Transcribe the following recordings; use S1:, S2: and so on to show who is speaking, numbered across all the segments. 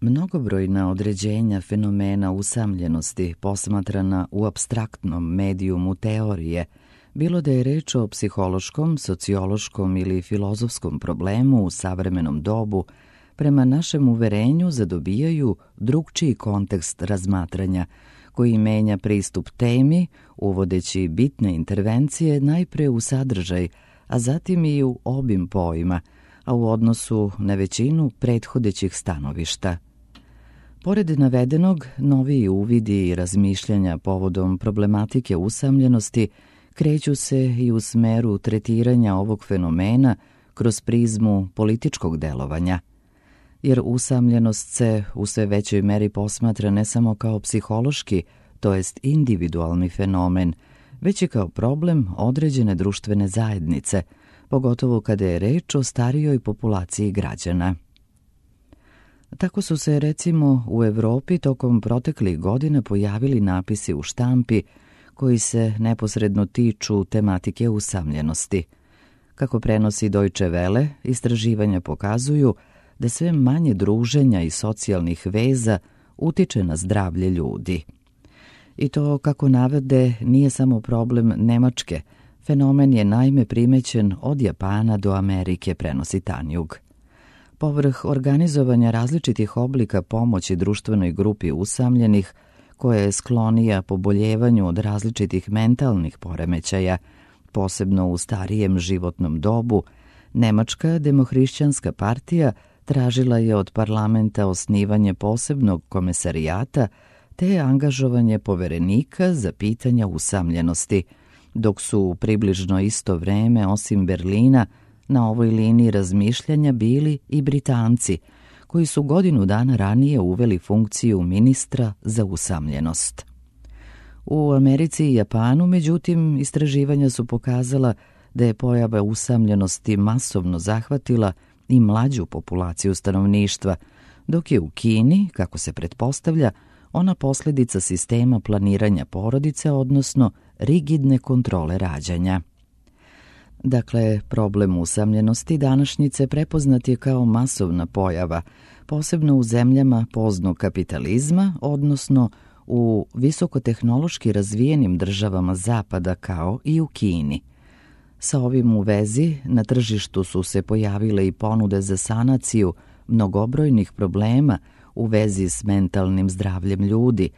S1: Mnogobrojna određenja fenomena usamljenosti posmatrana u apstraktnom medijumu teorije, bilo da je reč o psihološkom, sociološkom ili filozofskom problemu u savremenom dobu, prema našem uverenju zadobijaju drugčiji kontekst razmatranja, koji menja pristup temi, uvodeći bitne intervencije najpre u sadržaj, a zatim i u obim pojma, a u odnosu na većinu prethodećih stanovišta. Pored navedenog, noviji uvidi i razmišljanja povodom problematike usamljenosti kreću se i u smeru tretiranja ovog fenomena kroz prizmu političkog delovanja, jer usamljenost se u sve većoj meri posmatra ne samo kao psihološki, to jest individualni fenomen, već i kao problem određene društvene zajednice, pogotovo kada je reč o starijoj populaciji građana. Tako su se, recimo, u Evropi tokom proteklih godina pojavili napisi u štampi koji se neposredno tiču tematike usamljenosti. Kako prenosi Deutsche Welle, istraživanja pokazuju da sve manje druženja i socijalnih veza utiče na zdravlje ljudi. I to, kako navode, nije samo problem Nemačke, fenomen je naime primećen od Japana do Amerike, prenosi Tanjug. Povrh organizovanja različitih oblika pomoći društvenoj grupi usamljenih, koja je sklonija poboljevanju od različitih mentalnih poremećaja, posebno u starijem životnom dobu, Nemačka demohrišćanska partija tražila je od parlamenta osnivanje posebnog komesarijata te angažovanje poverenika za pitanja usamljenosti, dok su u približno isto vreme, osim Berlina, na ovoj liniji razmišljanja bili i Britanci, koji su godinu dana ranije uveli funkciju ministra za usamljenost. U Americi i Japanu, međutim, istraživanja su pokazala da je pojava usamljenosti masovno zahvatila i mlađu populaciju stanovništva, dok je u Kini, kako se pretpostavlja, ona posljedica sistema planiranja porodice, odnosno rigidne kontrole rađanja. Dakle, problem usamljenosti današnjice prepoznat je kao masovna pojava, posebno u zemljama poznog kapitalizma, odnosno u visokotehnološki razvijenim državama Zapada kao i u Kini. Sa ovim u vezi na tržištu su se pojavile i ponude za sanaciju mnogobrojnih problema u vezi s mentalnim zdravljem ljudi,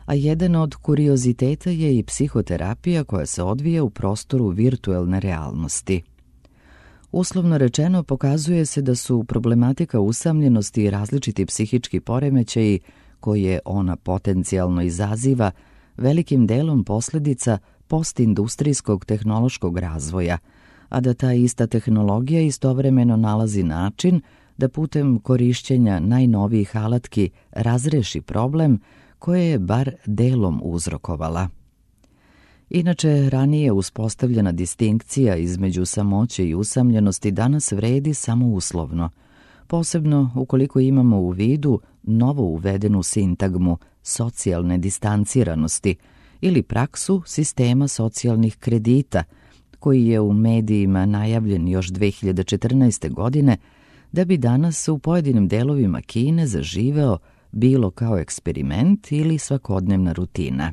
S1: a jedan od kurioziteta je i psihoterapija koja se odvija u prostoru virtuelne realnosti. Uslovno rečeno, pokazuje se da su problematika usamljenosti i različiti psihički poremećaji koje ona potencijalno izaziva velikim delom posljedica postindustrijskog tehnološkog razvoja, a da ta ista tehnologija istovremeno nalazi način da putem korišćenja najnovijih alatki razreši problem koje je bar delom uzrokovala. Inače, ranije uspostavljena distinkcija između samoće i usamljenosti danas vredi samo uslovno, posebno ukoliko imamo u vidu novo uvedenu sintagmu socijalne distanciranosti ili praksu sistema socijalnih kredita, koji je u medijima najavljen još 2014. godine, da bi danas u pojedinim delovima Kine zaživeo bilo kao eksperiment ili svakodnevna rutina.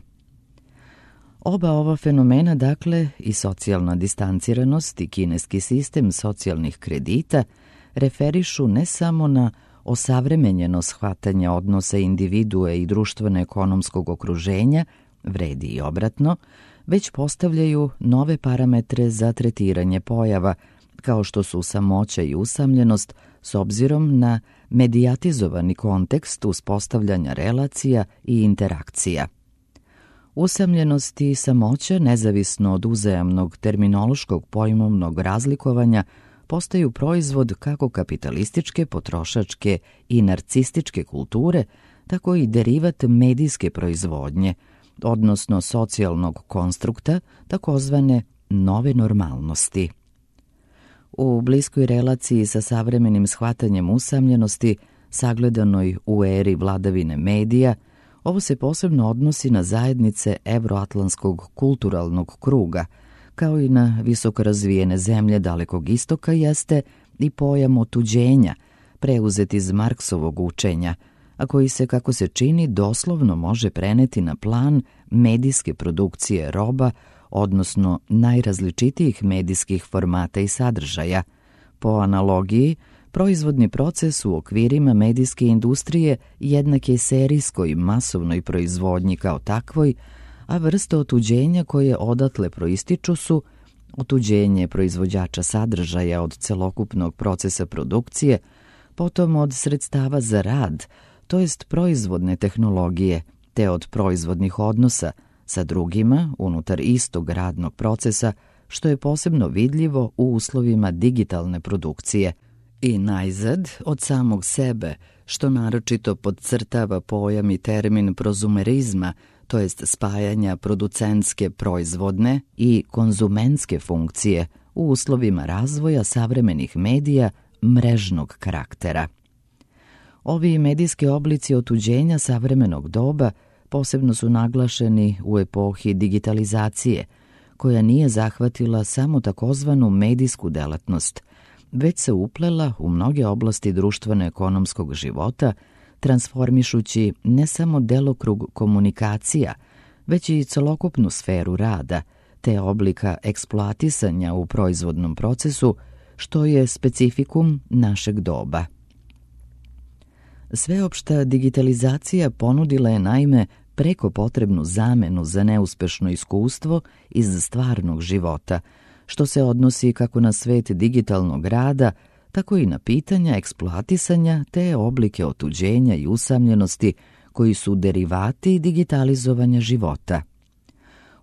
S1: Oba ova fenomena, dakle, i socijalna distanciranost i kineski sistem socijalnih kredita, referišu ne samo na osavremenjeno shvatanje odnosa individue i društveno-ekonomskog okruženja, vredi i obratno, već postavljaju nove parametre za tretiranje pojava, kao što su samoća i usamljenost, s obzirom na medijatizovani kontekst uspostavljanja relacija i interakcija. Usamljenost i samoća, nezavisno od uzajamnog terminološkog pojmovnog razlikovanja, postaju proizvod kako kapitalističke, potrošačke i narcističke kulture, tako i derivat medijske proizvodnje, odnosno socijalnog konstrukta, takozvane nove normalnosti. U bliskoj relaciji sa savremenim shvatanjem usamljenosti, sagledanoj u eri vladavine medija, ovo se posebno odnosi na zajednice evroatlantskog kulturalnog kruga, kao i na visoko razvijene zemlje Dalekog istoka, jeste i pojam otuđenja, preuzet iz Marksovog učenja, a koji se, kako se čini, doslovno može preneti na plan medijske produkcije roba, odnosno najrazličitijih medijskih formata i sadržaja. Po analogiji, proizvodni proces u okvirima medijske industrije jednak je serijskoj masovnoj proizvodnji kao takvoj, a vrste otuđenja koje odatle proističu su otuđenje proizvođača sadržaja od celokupnog procesa produkcije, potom od sredstava za rad, to jest proizvodne tehnologije, te od proizvodnih odnosa sa drugima unutar istog radnog procesa, što je posebno vidljivo u uslovima digitalne produkcije. I najzad, od samog sebe, što naročito podcrtava pojam i termin prozumerizma, to jest spajanja producentske proizvodne i konzumentske funkcije u uslovima razvoja savremenih medija mrežnog karaktera. Ovi medijski oblici otuđenja savremenog doba posebno su naglašeni u epohi digitalizacije, koja nije zahvatila samo takozvanu medijsku delatnost, već se uplela u mnoge oblasti društveno-ekonomskog života, transformišući ne samo delokrug komunikacija, već i celokupnu sferu rada, te oblika eksploatisanja u proizvodnom procesu, što je specifikum našeg doba. Sveopšta digitalizacija ponudila je naime preko potrebnu zamenu za neuspešno iskustvo iz stvarnog života, što se odnosi kako na svet digitalnog rada, tako i na pitanja eksploatisanja te oblike otuđenja i usamljenosti koji su derivati digitalizovanja života.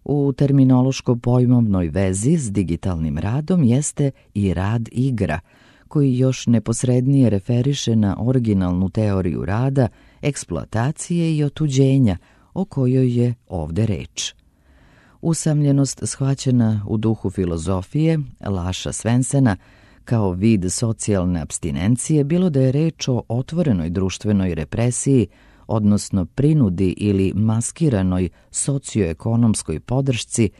S1: U terminološko-pojmovnoj vezi s digitalnim radom jeste i rad igra, koji još neposrednije referiše na originalnu teoriju rada, eksploatacije i otuđenja, o kojoj je ovde reč. Usamljenost shvaćena u duhu filozofije Lasha Svensena kao vid socijalne apstinencije, bilo da je reč o otvorenoj društvenoj represiji, odnosno prinudi ili maskiranoj socioekonomskoj podršci,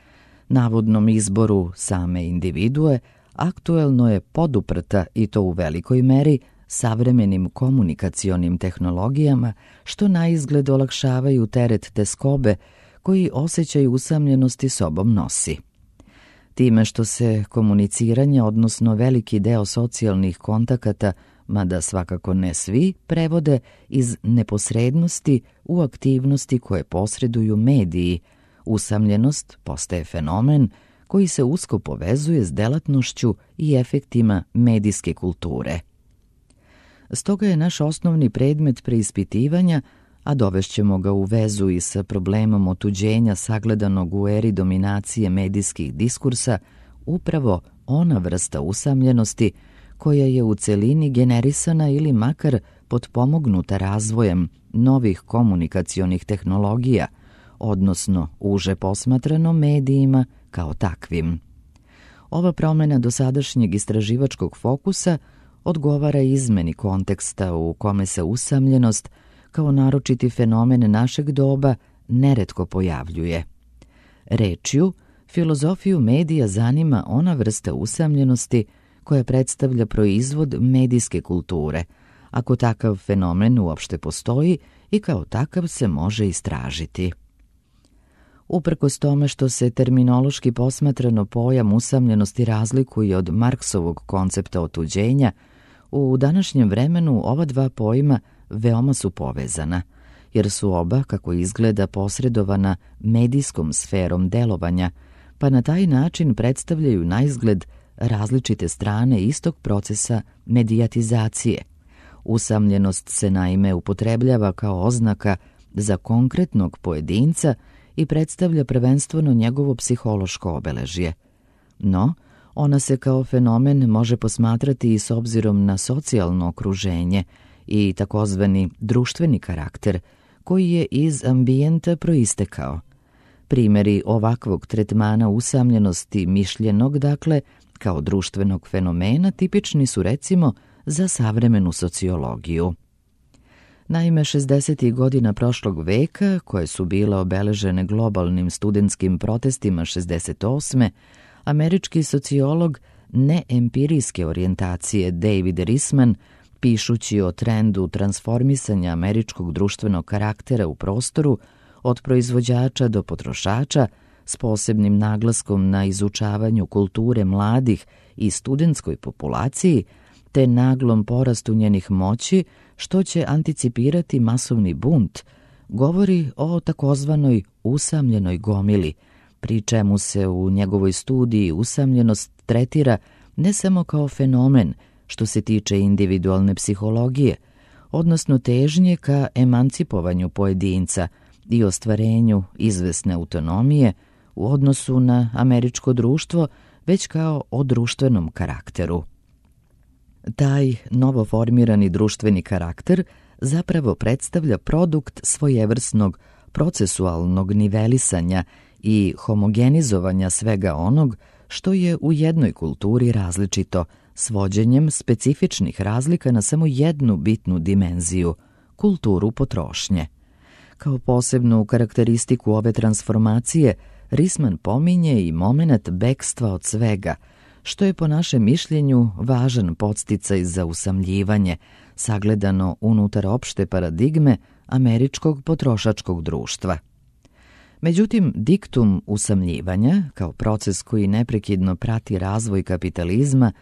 S1: navodnom izboru same individue, aktuelno je poduprta i to u velikoj meri savremenim komunikacionim tehnologijama, što naizgled olakšavaju teret teskobe koji osjećaj usamljenosti sobom nosi. Time što se komuniciranje, odnosno veliki deo socijalnih kontakata, mada svakako ne svi, prevode iz neposrednosti u aktivnosti koje posreduju mediji, usamljenost postaje fenomen koji se usko povezuje s delatnošću i efektima medijske kulture. Stoga je naš osnovni predmet preispitivanja, a dovešćemo ga u vezu i sa problemom otuđenja sagledanog u eri dominacije medijskih diskursa, upravo ona vrsta usamljenosti koja je u celini generisana ili makar potpomognuta razvojem novih komunikacionih tehnologija, odnosno uže posmatrano medijima kao takvim. Ova promjena dosadašnjeg istraživačkog fokusa odgovara izmeni konteksta u kome se usamljenost kao naročiti fenomen našeg doba neretko pojavljuje. Rečju, filozofiju medija zanima ona vrsta usamljenosti koja predstavlja proizvod medijske kulture, ako takav fenomen uopšte postoji i kao takav se može istražiti. Uprkos tome što se terminološki posmatrano pojam usamljenosti razlikuje od Marksovog koncepta otuđenja, u današnjem vremenu ova dva pojma veoma su povezana, jer su oba, kako izgleda, posredovana medijskom sferom delovanja, pa na taj način predstavljaju naizgled različite strane istog procesa medijatizacije. Usamljenost se naime upotrebljava kao oznaka za konkretnog pojedinca i predstavlja prvenstveno njegovo psihološko obeležje. No, ona se kao fenomen može posmatrati i s obzirom na socijalno okruženje i takozvani društveni karakter koji je iz ambijenta proistekao. Primjeri ovakvog tretmana usamljenosti mišljenog, dakle, kao društvenog fenomena tipični su recimo za savremenu sociologiju. Naime, 60. godina prošlog veka, koje su bile obeležene globalnim studentskim protestima 68. američki sociolog neempirijske orijentacije David Riesman Pišući o trendu transformisanja američkog društvenog karaktera u prostoru, od proizvođača do potrošača, s posebnim naglaskom na izučavanju kulture mladih i studentskoj populaciji, te naglom porastu njenih moći, što će anticipirati masovni bunt, govori o takozvanoj usamljenoj gomili, pri čemu se u njegovoj studiji usamljenost tretira ne samo kao fenomen što se tiče individualne psihologije, odnosno težnje ka emancipovanju pojedinca i ostvarenju izvesne autonomije u odnosu na američko društvo, već kao o društvenom karakteru. Taj novoformirani društveni karakter zapravo predstavlja produkt svojevrsnog procesualnog nivelisanja i homogenizovanja svega onog što je u jednoj kulturi različito, svođenjem specifičnih razlika na samo jednu bitnu dimenziju, kulturu potrošnje. Kao posebnu karakteristiku ove transformacije, Risman pominje i momenat bekstva od svega, što je po našem mišljenju važan podsticaj za usamljivanje, sagledano unutar opšte paradigme američkog potrošačkog društva. Međutim, diktum usamljivanja, kao proces koji neprekidno prati razvoj kapitalizma,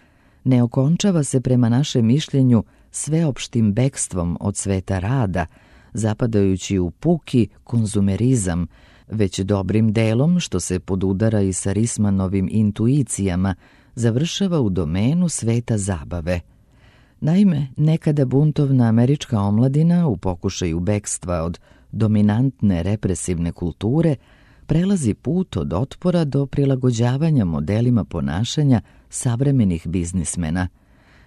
S1: ne okončava se prema našem mišljenju sveopštim bekstvom od sveta rada, zapadajući u puki konzumerizam, već dobrim delom, što se podudara i sa Rismanovim intuicijama, završava u domenu sveta zabave. Naime, nekada buntovna američka omladina u pokušaju bekstva od dominantne represivne kulture prelazi put od otpora do prilagođavanja modelima ponašanja savremenih biznismena.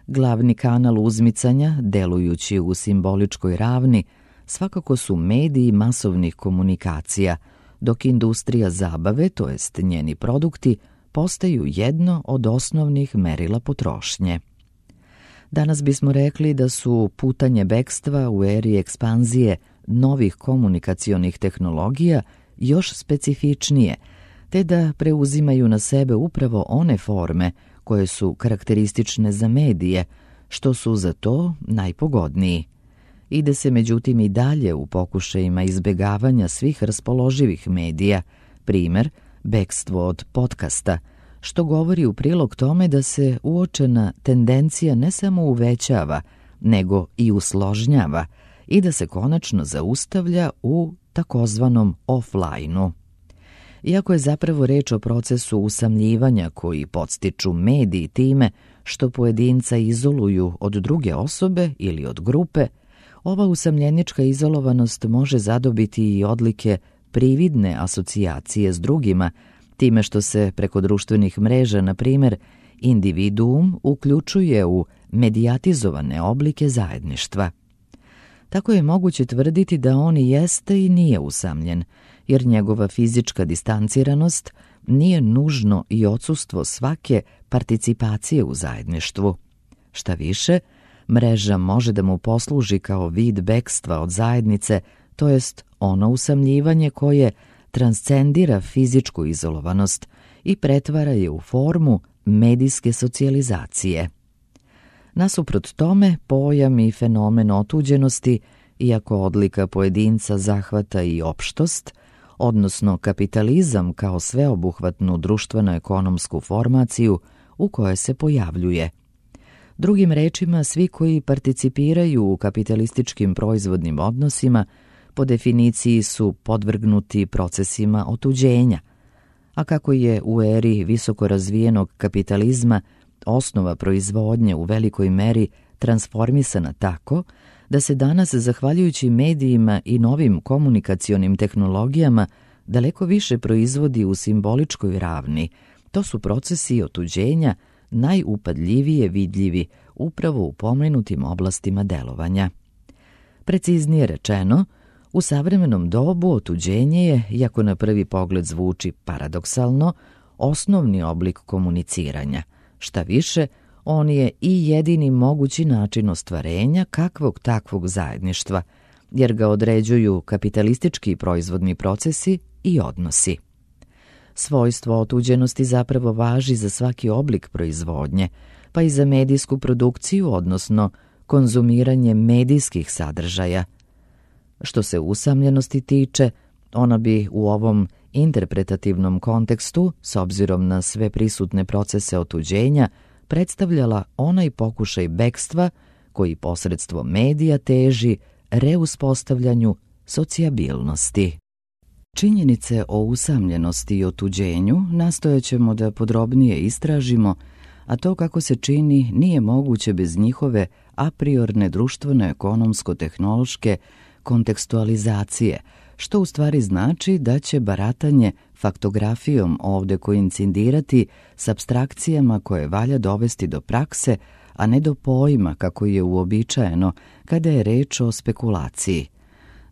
S1: Glavni kanal uzmicanja, delujući u simboličkoj ravni, svakako su mediji masovnih komunikacija, dok industrija zabave, to jest njeni produkti, postaju jedno od osnovnih merila potrošnje. Danas bismo rekli da su putanje bekstva u eri ekspanzije novih komunikacionih tehnologija još specifičnije, te da preuzimaju na sebe upravo one forme koje su karakteristične za medije, što su za to najpogodniji. Ide se međutim i dalje u pokušajima izbegavanja svih raspoloživih medija, primer, bekstvo od podcasta, što govori u prilog tome da se uočena tendencija ne samo uvećava, nego i usložnjava i da se konačno zaustavlja u takozvanom offline-u. Iako je zapravo reč o procesu usamljivanja koji podstiču mediji time što pojedinca izoluju od druge osobe ili od grupe, ova usamljenička izolovanost može zadobiti i odlike prividne asocijacije s drugima, time što se preko društvenih mreža, na primjer, individuum uključuje u medijatizovane oblike zajedništva. Tako je moguće tvrditi da on i jeste i nije usamljen, jer njegova fizička distanciranost nije nužno i odsustvo svake participacije u zajedništvu. Šta više, mreža može da mu posluži kao vid bekstva od zajednice, to jest ono usamljivanje koje transcendira fizičku izolovanost i pretvara je u formu medijske socijalizacije. Nasuprot tome, pojam i fenomen otuđenosti, iako odlika pojedinca zahvata i opštost, odnosno kapitalizam kao sveobuhvatnu društveno-ekonomsku formaciju u kojoj se pojavljuje. Drugim rečima, svi koji participiraju u kapitalističkim proizvodnim odnosima po definiciji su podvrgnuti procesima otuđenja, a kako je u eri visoko razvijenog kapitalizma osnova proizvodnje u velikoj meri transformisana tako da se danas, zahvaljujući medijima i novim komunikacionim tehnologijama, daleko više proizvodi u simboličkoj ravni, to su procesi otuđenja najupadljivije vidljivi upravo u pomenutim oblastima delovanja. Preciznije rečeno, u savremenom dobu otuđenje je, iako na prvi pogled zvuči paradoksalno, osnovni oblik komuniciranja. Šta više, on je i jedini mogući način ostvarenja kakvog takvog zajedništva, jer ga određuju kapitalistički proizvodni procesi i odnosi. Svojstvo otuđenosti zapravo važi za svaki oblik proizvodnje, pa i za medijsku produkciju, odnosno konzumiranje medijskih sadržaja. Što se usamljenosti tiče, ona bi u ovom interpretativnom kontekstu, s obzirom na sve prisutne procese otuđenja, predstavljala onaj pokušaj bekstva koji posredstvom medija teži reuspostavljanju socijabilnosti. Činjenice o usamljenosti i otuđenju nastojaćemo da podrobnije istražimo, a to kako se čini nije moguće bez njihove a priorne društveno-ekonomsko-tehnološke kontekstualizacije, što u stvari znači da će baratanje faktografijom ovde koincidirati s apstrakcijama koje valja dovesti do prakse, a ne do pojma kako je uobičajeno kada je reč o spekulaciji.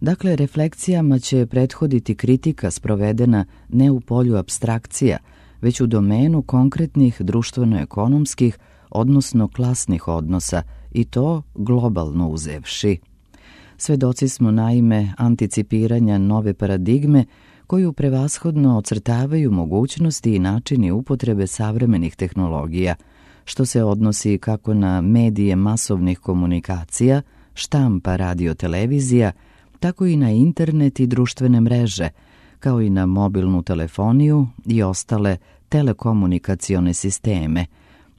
S1: Dakle, refleksijama će prethoditi kritika sprovedena ne u polju apstrakcija, već u domenu konkretnih društveno-ekonomskih, odnosno klasnih odnosa, i to globalno uzevši. Svedoci smo naime anticipiranja nove paradigme koju prevashodno ocrtavaju mogućnosti i načini upotrebe savremenih tehnologija, što se odnosi kako na medije masovnih komunikacija, štampa, radio, televizija, tako i na internet i društvene mreže, kao i na mobilnu telefoniju i ostale telekomunikacione sisteme.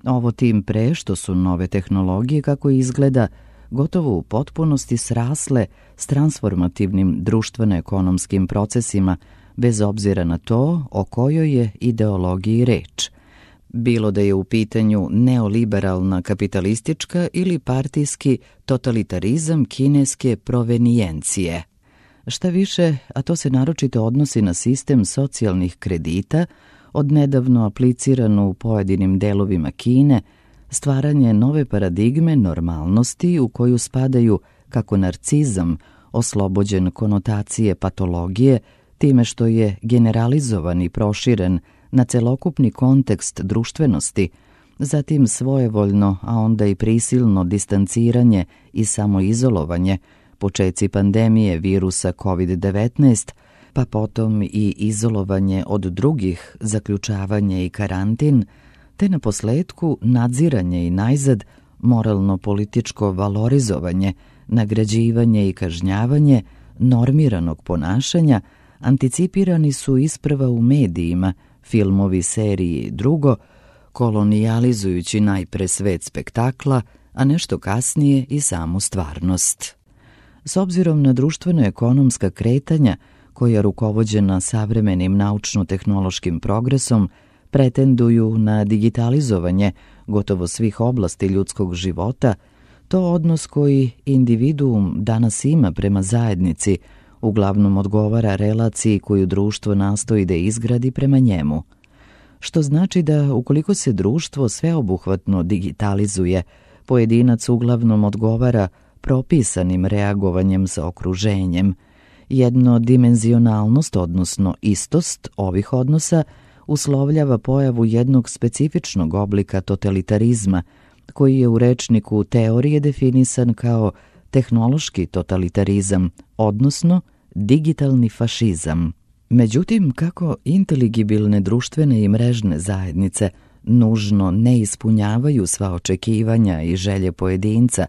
S1: Ovo tim pre što su nove tehnologije, kako izgleda, gotovo u potpunosti srasle s transformativnim društveno-ekonomskim procesima, bez obzira na to o kojoj je ideologiji reč. Bilo da je u pitanju neoliberalna kapitalistička ili partijski totalitarizam kineske provenijencije. Šta više, a to se naročito odnosi na sistem socijalnih kredita, odnedavno aplicirano u pojedinim delovima Kine, stvaranje nove paradigme normalnosti u koju spadaju kako narcizam, oslobođen konotacije patologije, time što je generalizovan i proširen na celokupni kontekst društvenosti, zatim svojevoljno, a onda i prisilno distanciranje i samoizolovanje, počeci pandemije virusa COVID-19, pa potom i izolovanje od drugih, zaključavanje i karantin, te na posledku nadziranje i najzad moralno-političko valorizovanje, nagrađivanje i kažnjavanje normiranog ponašanja, anticipirani su isprva u medijima, filmovi, seriji i drugo, kolonijalizujući najpre svet spektakla, a nešto kasnije i samu stvarnost. S obzirom na društveno-ekonomska kretanja, koja rukovođena savremenim naučno-tehnološkim progresom, pretenduju na digitalizovanje gotovo svih oblasti ljudskog života, to odnos koji individuum danas ima prema zajednici uglavnom odgovara relaciji koju društvo nastoji da izgradi prema njemu. Što znači da ukoliko se društvo sveobuhvatno digitalizuje, pojedinac uglavnom odgovara propisanim reagovanjem sa okruženjem. Jednodimenzionalnost, odnosno istost ovih odnosa, uslovljava pojavu jednog specifičnog oblika totalitarizma, koji je u rečniku teorije definisan kao tehnološki totalitarizam, odnosno digitalni fašizam. Međutim, kako inteligibilne društvene i mrežne zajednice nužno ne ispunjavaju sva očekivanja i želje pojedinca,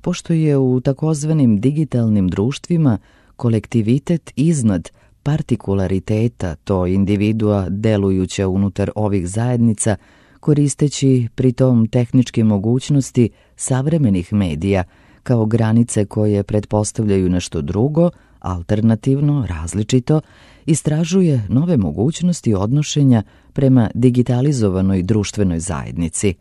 S1: pošto je u takozvanim digitalnim društvima kolektivitet iznad partikulariteta, to individua delujuća unutar ovih zajednica, koristeći pritom tehničke mogućnosti savremenih medija kao granice koje pretpostavljaju nešto drugo, alternativno, različito, istražuje nove mogućnosti odnošenja prema digitalizovanoj društvenoj zajednici.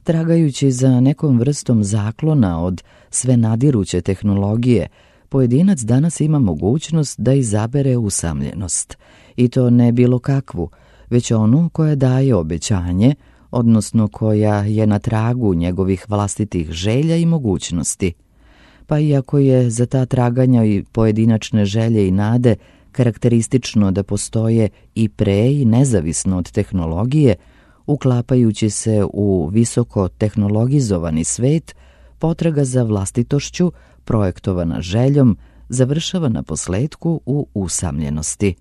S1: Tragajući za nekom vrstom zaklona od sve nadiruće tehnologije, pojedinac danas ima mogućnost da izabere usamljenost, i to ne bilo kakvu, već onu koja daje obećanje, odnosno koja je na tragu njegovih vlastitih želja i mogućnosti. Pa iako je za ta traganja i pojedinačne želje i nade karakteristično da postoje i pre i nezavisno od tehnologije, uklapajući se u visoko tehnologizovani svet, potraga za vlastitošću, projektovana željom, završava na posledku u usamljenosti.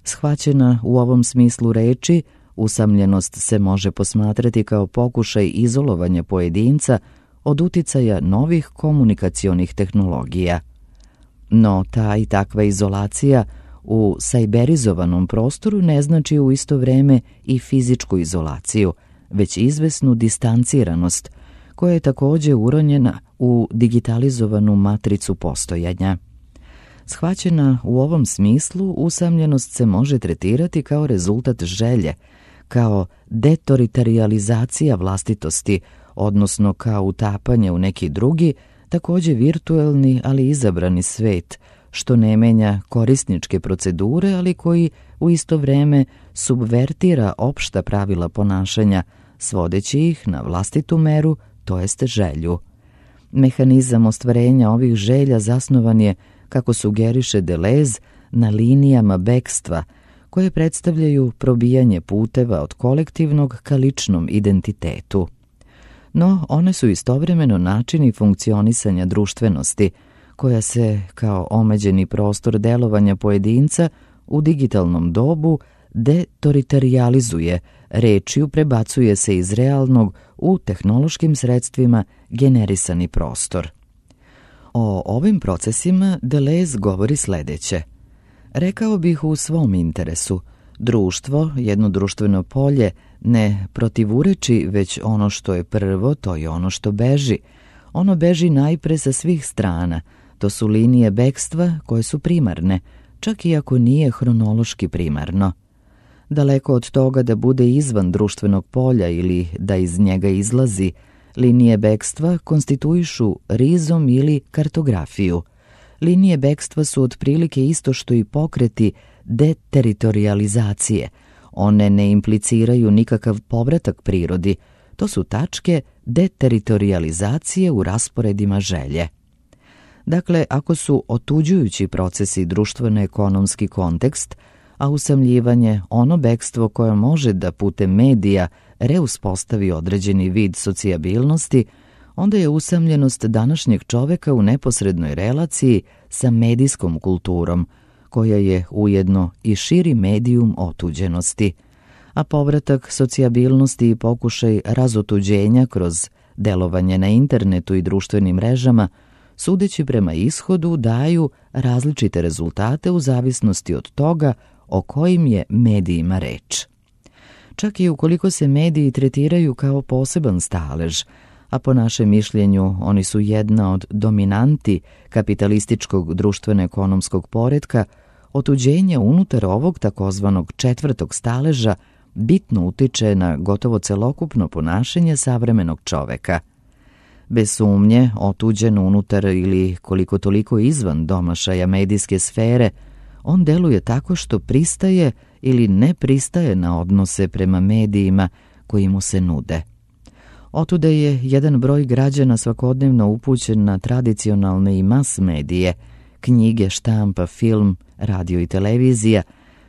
S1: Shvaćena u ovom smislu reči, usamljenost se može posmatrati kao pokušaj izolovanja pojedinca od uticaja novih komunikacionih tehnologija. No, ta i takva izolacija u sajberizovanom prostoru ne znači u isto vreme i fizičku izolaciju, već izvesnu distanciranost, koja je također uronjena u digitalizovanu matricu postojanja. Shvaćena u ovom smislu, usamljenost se može tretirati kao rezultat želje, kao detoritorializacija vlastitosti, odnosno kao utapanje u neki drugi, također virtuelni, ali izabrani svet, što ne menja korisničke procedure, ali koji u isto vreme subvertira opšta pravila ponašanja, svodeći ih na vlastitu meru, to jest želju. Mehanizam ostvarenja ovih želja zasnovan je, kako sugeriše Deleuze, na linijama bekstva, koje predstavljaju probijanje puteva od kolektivnog ka ličnom identitetu. No, one su istovremeno načini funkcionisanja društvenosti, koja se, kao omeđeni prostor delovanja pojedinca, u digitalnom dobu detoritorializuje, rečju prebacuje se iz realnog u tehnološkim sredstvima generisani prostor. O ovim procesima Deleuze govori sledeće. Rekao bih u svom interesu, društvo, jedno društveno polje, ne protivureči, već ono što je prvo, to je ono što beži. Ono beži najpre sa svih strana, to su linije bekstva koje su primarne, čak i ako nije hronološki primarno. Daleko od toga da bude izvan društvenog polja ili da iz njega izlazi, linije bekstva konstituišu rizom ili kartografiju. Linije bekstva su otprilike isto što i pokreti deteritorializacije. One ne impliciraju nikakav povratak prirodi, to su tačke deteritorializacije u rasporedima želje. Dakle, ako su otuđujući procesi društveno-ekonomski kontekst, a usamljivanje ono bekstvo koje može da putem medija reuspostavi određeni vid socijabilnosti, onda je usamljenost današnjeg čoveka u neposrednoj relaciji sa medijskom kulturom, koja je ujedno i širi medijum otuđenosti, a povratak socijabilnosti i pokušaj razotuđenja kroz delovanje na internetu i društvenim mrežama, sudeći prema ishodu, daju različite rezultate u zavisnosti od toga o kojim je medijima reč. Čak i ukoliko se mediji tretiraju kao poseban stalež, a po našem mišljenju oni su jedna od dominanti kapitalističkog društveno-ekonomskog poretka, otuđenje unutar ovog takozvanog četvrtog staleža bitno utiče na gotovo celokupno ponašanje savremenog čoveka. Bez sumnje, otuđen unutar ili koliko toliko izvan domašaja medijske sfere, on deluje tako što pristaje ili ne pristaje na odnose prema medijima koji mu se nude. Otuda je jedan broj građana svakodnevno upućen na tradicionalne i mas medije, knjige, štampa, film, radio i televizija,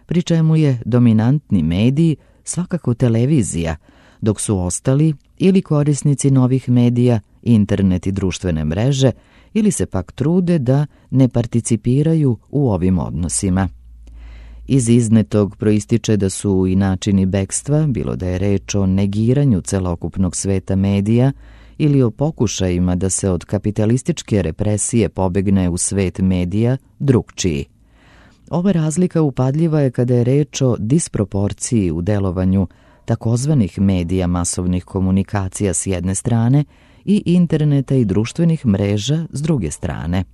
S1: pri čemu je dominantni medij svakako televizija, dok su ostali ili korisnici novih medija, internet i društvene mreže, ili se pak trude da ne participiraju u ovim odnosima. Iz iznetog proističe da su i načini bekstva, bilo da je reč o negiranju celokupnog sveta medija ili o pokušajima da se od kapitalističke represije pobegne u svet medija, drugčiji. Ova razlika upadljiva je kada je reč o disproporciji u delovanju takozvanih medija masovnih komunikacija s jedne strane i interneta i društvenih mreža s druge strane.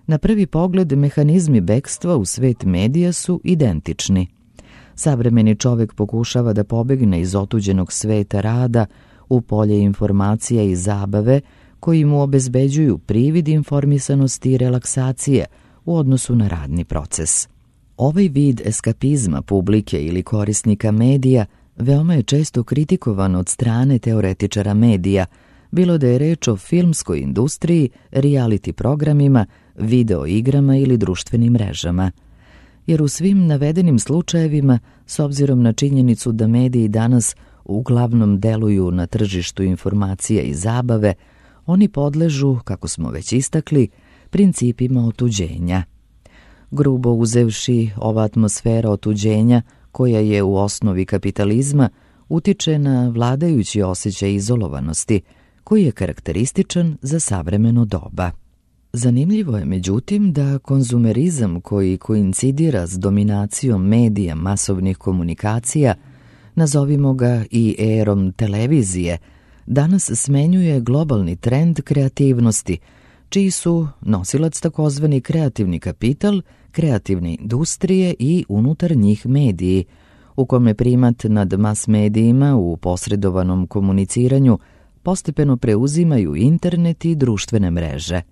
S1: Na prvi pogled, mehanizmi bekstva u svet medija su identični. Savremeni čovek pokušava da pobegne iz otuđenog sveta rada u polje informacija i zabave koji mu obezbeđuju privid informisanosti i relaksacije u odnosu na radni proces. Ovaj vid eskapizma publike ili korisnika medija veoma je često kritikovan od strane teoretičara medija, bilo da je reč o filmskoj industriji, reality programima, video igrama ili društvenim mrežama. Jer u svim navedenim slučajevima, s obzirom na činjenicu da mediji danas uglavnom deluju na tržištu informacija i zabave, oni podležu, kako smo već istakli, principima otuđenja. Grubo uzevši, ova atmosfera otuđenja, koja je u osnovi kapitalizma, utiče na vladajući osjećaj izolovanosti, koji je karakterističan za savremeno doba. Zanimljivo je međutim da konzumerizam koji koincidira s dominacijom medija masovnih komunikacija, nazovimo ga i erom televizije, danas smenjuje globalni trend kreativnosti, čiji su nosilac takozvani kreativni kapital, kreativne industrije i unutar njih mediji, u kome primat nad mas medijima u posredovanom komuniciranju postepeno preuzimaju internet i društvene mreže.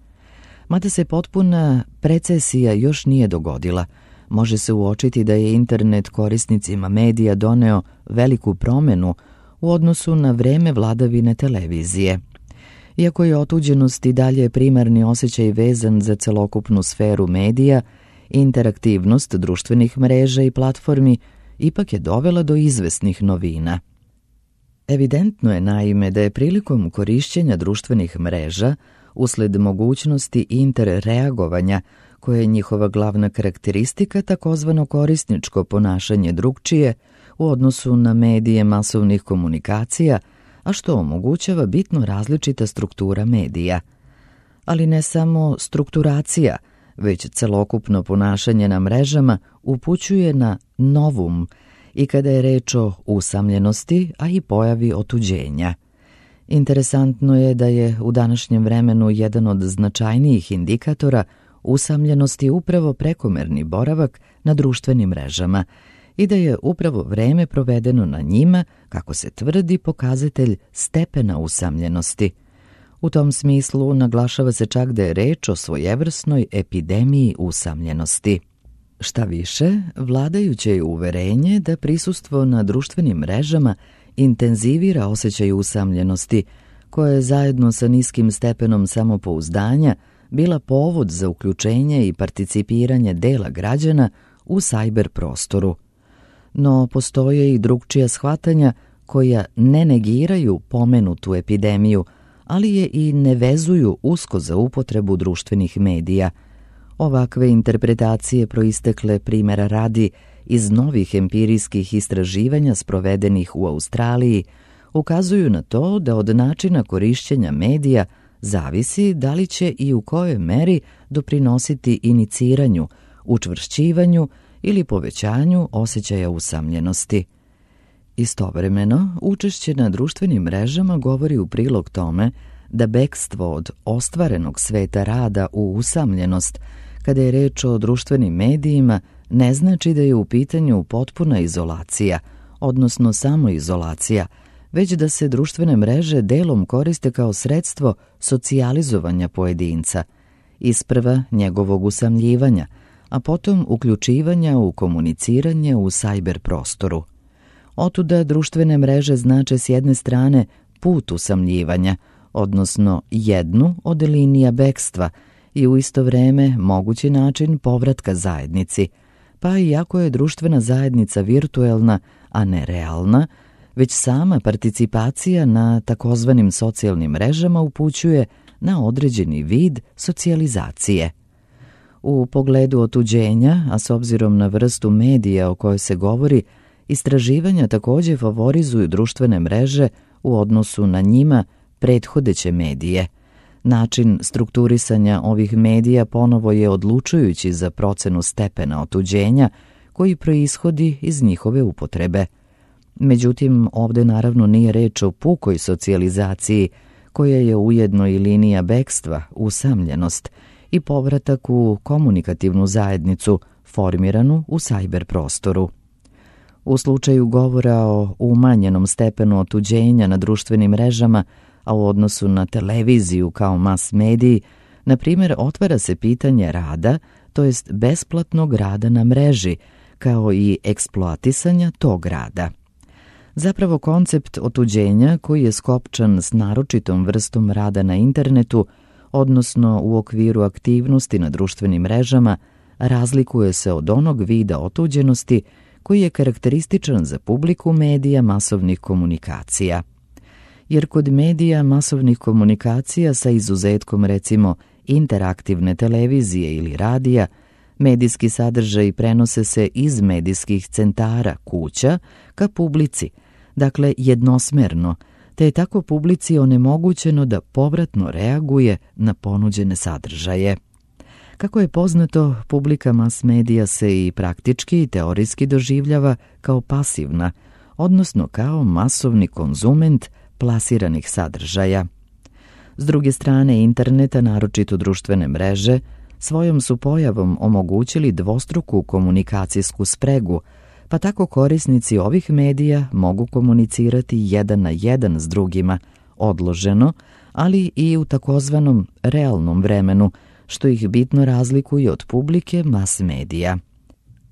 S1: Mada se potpuna precesija još nije dogodila, može se uočiti da je internet korisnicima medija doneo veliku promenu u odnosu na vreme vladavine televizije. Iako je otuđenost i dalje primarni osjećaj vezan za celokupnu sferu medija, interaktivnost društvenih mreža i platformi ipak je dovela do izvesnih novina. Evidentno je naime da je prilikom korišćenja društvenih mreža, usled mogućnosti interreagovanja, koje je njihova glavna karakteristika, takozvano korisničko ponašanje drugčije u odnosu na medije masovnih komunikacija, a što omogućava bitno različita struktura medija. Ali ne samo strukturacija, već celokupno ponašanje na mrežama upućuje na novum i kada je reč o usamljenosti, a i pojavi otuđenja. Interesantno je da je u današnjem vremenu jedan od značajnijih indikatora usamljenosti upravo prekomerni boravak na društvenim mrežama i da je upravo vreme provedeno na njima, kako se tvrdi, pokazatelj stepena usamljenosti. U tom smislu naglašava se čak da je reč o svojevrsnoj epidemiji usamljenosti. Šta više, vladajuće je uverenje da prisustvo na društvenim mrežama intenzivira osjećaj usamljenosti, koje je zajedno sa niskim stepenom samopouzdanja bila povod za uključenje i participiranje dela građana u sajber prostoru. No postoje i drugčija shvatanja koja ne negiraju pomenutu epidemiju, ali je i ne vezuju usko za upotrebu društvenih medija. Ovakve interpretacije proistekle, primjera radi, iz novih empirijskih istraživanja sprovedenih u Australiji ukazuju na to da od načina korišćenja medija zavisi da li će i u kojoj meri doprinositi iniciranju, učvršćivanju ili povećanju osjećaja usamljenosti. Istovremeno, učešće na društvenim mrežama govori u prilog tome da bekstvo od ostvarenog sveta rada u usamljenost, kada je reč o društvenim medijima, ne znači da je u pitanju potpuna izolacija, odnosno samoizolacija, već da se društvene mreže delom koriste kao sredstvo socijalizovanja pojedinca, isprva njegovog usamljivanja, a potom uključivanja u komuniciranje u sajber prostoru. Otuda društvene mreže znače s jedne strane put usamljivanja, odnosno jednu od linija bekstva i u isto vreme mogući način povratka zajednici, pa iako je društvena zajednica virtuelna, a ne realna, već sama participacija na takozvanim socijalnim mrežama upućuje na određeni vid socijalizacije. U pogledu otuđenja, a s obzirom na vrstu medija o kojoj se govori, istraživanja također favorizuju društvene mreže u odnosu na njima prethodeće medije. Način strukturisanja ovih medija ponovo je odlučujući za procenu stepena otuđenja koji proishodi iz njihove upotrebe. Međutim, ovdje naravno nije reč o pukoj socijalizaciji, koja je ujedno i linija bekstva, usamljenost i povratak u komunikativnu zajednicu formiranu u sajber prostoru. U slučaju govora o umanjenom stepenu otuđenja na društvenim mrežama, a u odnosu na televiziju kao mas mediji, na primjer, otvara se pitanje rada, to jest besplatnog rada na mreži, kao i eksploatisanja tog rada. Zapravo koncept otuđenja, koji je skopčan s naročitom vrstom rada na internetu, odnosno u okviru aktivnosti na društvenim mrežama, razlikuje se od onog vida otuđenosti koji je karakterističan za publiku medija masovnih komunikacija. Jer kod medija masovnih komunikacija, sa izuzetkom recimo interaktivne televizije ili radija, medijski sadržaji prenose se iz medijskih centara kuća ka publici, dakle jednosmerno, te je tako publici onemogućeno da povratno reaguje na ponuđene sadržaje. Kako je poznato, publika mas medija se i praktički i teorijski doživljava kao pasivna, odnosno kao masovni konzument plasiranih sadržaja. S druge strane, interneta, naročito društvene mreže, svojom su pojavom omogućili dvostruku komunikacijsku spregu, pa tako korisnici ovih medija mogu komunicirati jedan na jedan s drugima, odloženo, ali i u takozvanom realnom vremenu, što ih bitno razlikuje od publike mas medija.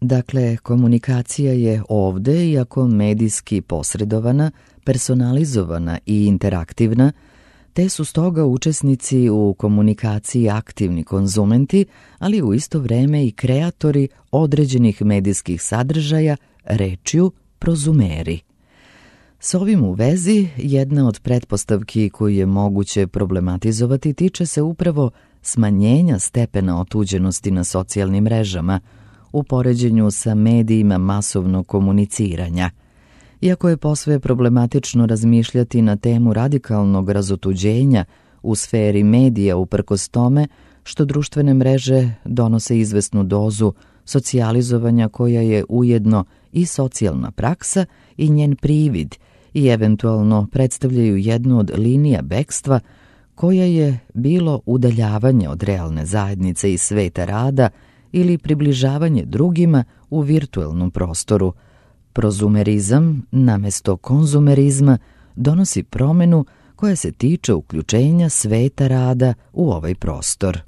S1: Dakle, komunikacija je ovde, iako medijski posredovana, personalizovana i interaktivna, te su stoga učesnici u komunikaciji aktivni konzumenti, ali u isto vreme i kreatori određenih medijskih sadržaja, rečju prozumeri. S ovim u vezi, jedna od pretpostavki koju je moguće problematizovati tiče se upravo smanjenja stepena otuđenosti na socijalnim mrežama u poređenju sa medijima masovnog komuniciranja. Iako je posve problematično razmišljati na temu radikalnog razotuđenja u sferi medija uprkos tome što društvene mreže donose izvesnu dozu socijalizovanja koja je ujedno i socijalna praksa i njen privid i eventualno predstavljaju jednu od linija bekstva koja je bilo udaljavanje od realne zajednice i sveta rada ili približavanje drugima u virtuelnom prostoru. Prozumerizam, namesto konzumerizma, donosi promenu koja se tiče uključenja sveta rada u ovaj prostor.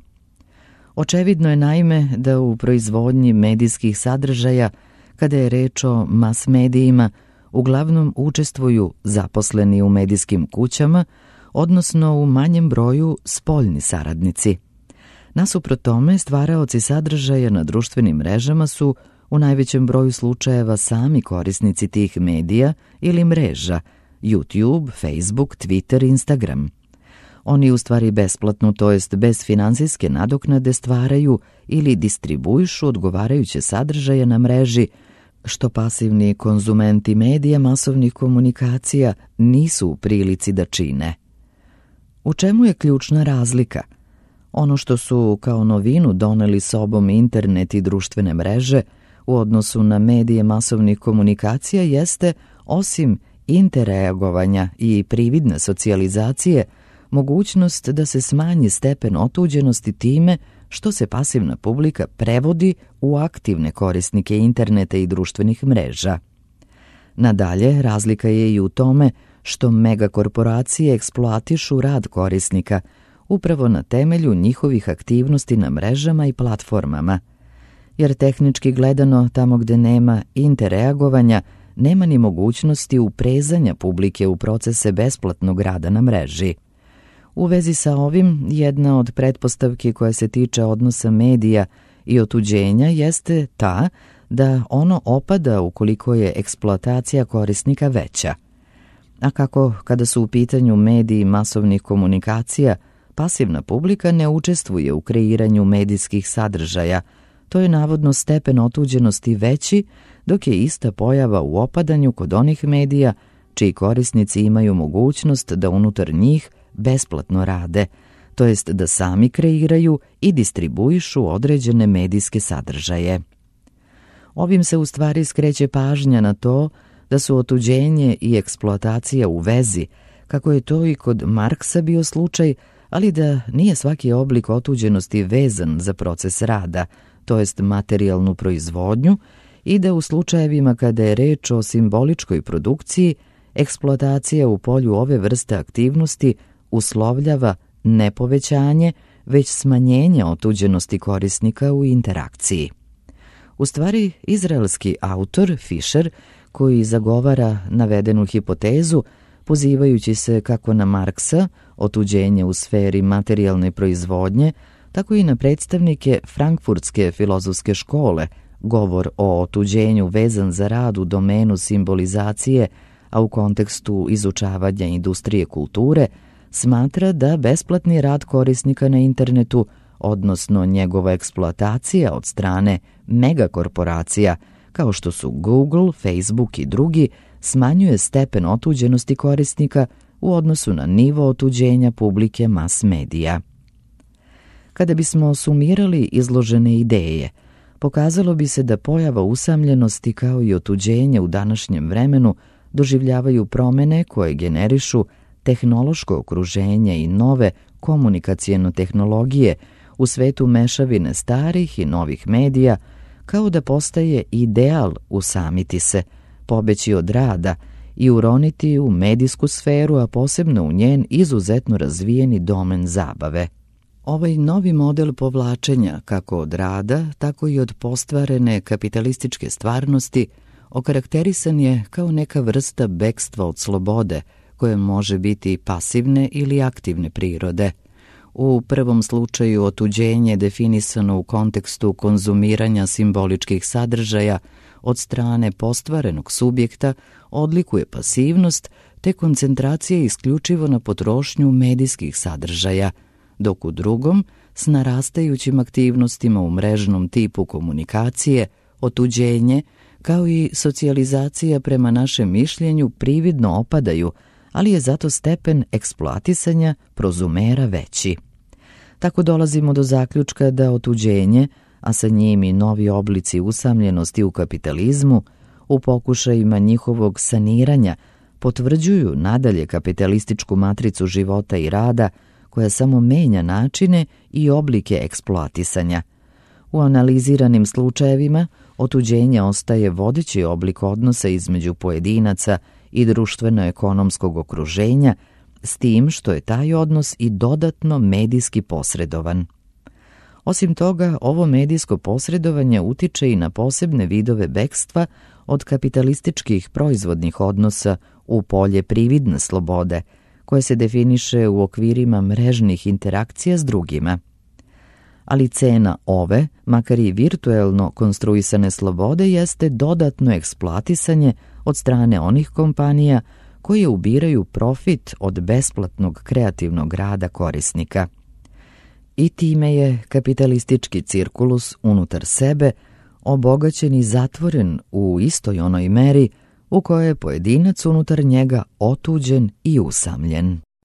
S1: Očevidno je naime da u proizvodnji medijskih sadržaja, kada je reč o mas medijima, uglavnom učestvuju zaposleni u medijskim kućama, odnosno u manjem broju spoljni saradnici. Nasuprot tome, stvaraoci sadržaja na društvenim mrežama su u najvećem broju slučajeva sami korisnici tih medija ili mreža, YouTube, Facebook, Twitter, Instagram. Oni u stvari besplatno, to jest bez finansijske nadoknade, stvaraju ili distribuišu odgovarajuće sadržaje na mreži, što pasivni konzumenti medija masovnih komunikacija nisu u prilici da čine. U čemu je ključna razlika? Ono što su kao novinu doneli sobom internet i društvene mreže u odnosu na medije masovnih komunikacija jeste, osim interreagovanja i prividne socijalizacije, mogućnost da se smanji stepen otuđenosti time što se pasivna publika prevodi u aktivne korisnike interneta i društvenih mreža. Nadalje, razlika je i u tome što megakorporacije eksploatišu rad korisnika upravo na temelju njihovih aktivnosti na mrežama i platformama. Jer tehnički gledano, tamo gde nema interreagovanja, nema ni mogućnosti uprezanja publike u procese besplatnog rada na mreži. U vezi sa ovim, jedna od pretpostavki koja se tiče odnosa medija i otuđenja jeste ta da ono opada ukoliko je eksploatacija korisnika veća. A kako kada su u pitanju mediji masovnih komunikacija, pasivna publika ne učestvuje u kreiranju medijskih sadržaja, to je navodno stepen otuđenosti veći, dok je ista pojava u opadanju kod onih medija čiji korisnici imaju mogućnost da unutar njih besplatno rade, to jest da sami kreiraju i distribuišu određene medijske sadržaje. Ovim se u stvari skreće pažnja na to da su otuđenje i eksploatacija u vezi, kako je to i kod Marksa bio slučaj, ali da nije svaki oblik otuđenosti vezan za proces rada, to jest materijalnu proizvodnju, i da u slučajevima kada je reč o simboličkoj produkciji, eksploatacija u polju ove vrste aktivnosti uslovljava ne povećanje, već smanjenje otuđenosti korisnika u interakciji. U stvari, izraelski autor Fisher, koji zagovara navedenu hipotezu, pozivajući se kako na Marksa, otuđenje u sferi materijalne proizvodnje, tako i na predstavnike Frankfurtske filozofske škole, govor o otuđenju vezan za rad u domenu simbolizacije, a u kontekstu izučavanja industrije kulture, smatra da besplatni rad korisnika na internetu, odnosno njegova eksploatacija od strane megakorporacija, kao što su Google, Facebook i drugi, smanjuje stepen otuđenosti korisnika u odnosu na nivo otuđenja publike mas medija. Kada bismo sumirali izložene ideje, pokazalo bi se da pojava usamljenosti kao i otuđenje u današnjem vremenu doživljavaju promene koje generišu tehnološko okruženje i nove komunikacijne tehnologije u svetu mešavine starih i novih medija, kao da postaje ideal usamiti se, pobeći od rada i uroniti u medijsku sferu, a posebno u njen izuzetno razvijeni domen zabave. Ovaj novi model povlačenja kako od rada, tako i od postvarene kapitalističke stvarnosti okarakterisan je kao neka vrsta bekstva od slobode, koje može biti pasivne ili aktivne prirode. U prvom slučaju otuđenje definisano u kontekstu konzumiranja simboličkih sadržaja od strane postvarenog subjekta odlikuje pasivnost te koncentracija isključivo na potrošnju medijskih sadržaja, dok u drugom, s narastajućim aktivnostima u mrežnom tipu komunikacije, otuđenje, kao i socijalizacija prema našem mišljenju prividno opadaju, ali je zato stepen eksploatisanja prozumera veći. Tako dolazimo do zaključka da otuđenje, a sa njim i novi oblici usamljenosti u kapitalizmu, u pokušajima njihovog saniranja, potvrđuju nadalje kapitalističku matricu života i rada, koja samo menja načine i oblike eksploatisanja. U analiziranim slučajevima otuđenje ostaje vodeći oblik odnosa između pojedinaca i društveno-ekonomskog okruženja, s tim što je taj odnos i dodatno medijski posredovan. Osim toga, ovo medijsko posredovanje utiče i na posebne vidove bekstva od kapitalističkih proizvodnih odnosa u polje prividne slobode, koje se definiše u okvirima mrežnih interakcija s drugima. Ali cena ove, makar i virtuelno konstruisane slobode, jeste dodatno eksploatisanje od strane onih kompanija koje ubiraju profit od besplatnog kreativnog rada korisnika. I time je kapitalistički cirkulus unutar sebe obogaćen i zatvoren u istoj onoj meri u kojoj je pojedinac unutar njega otuđen i usamljen.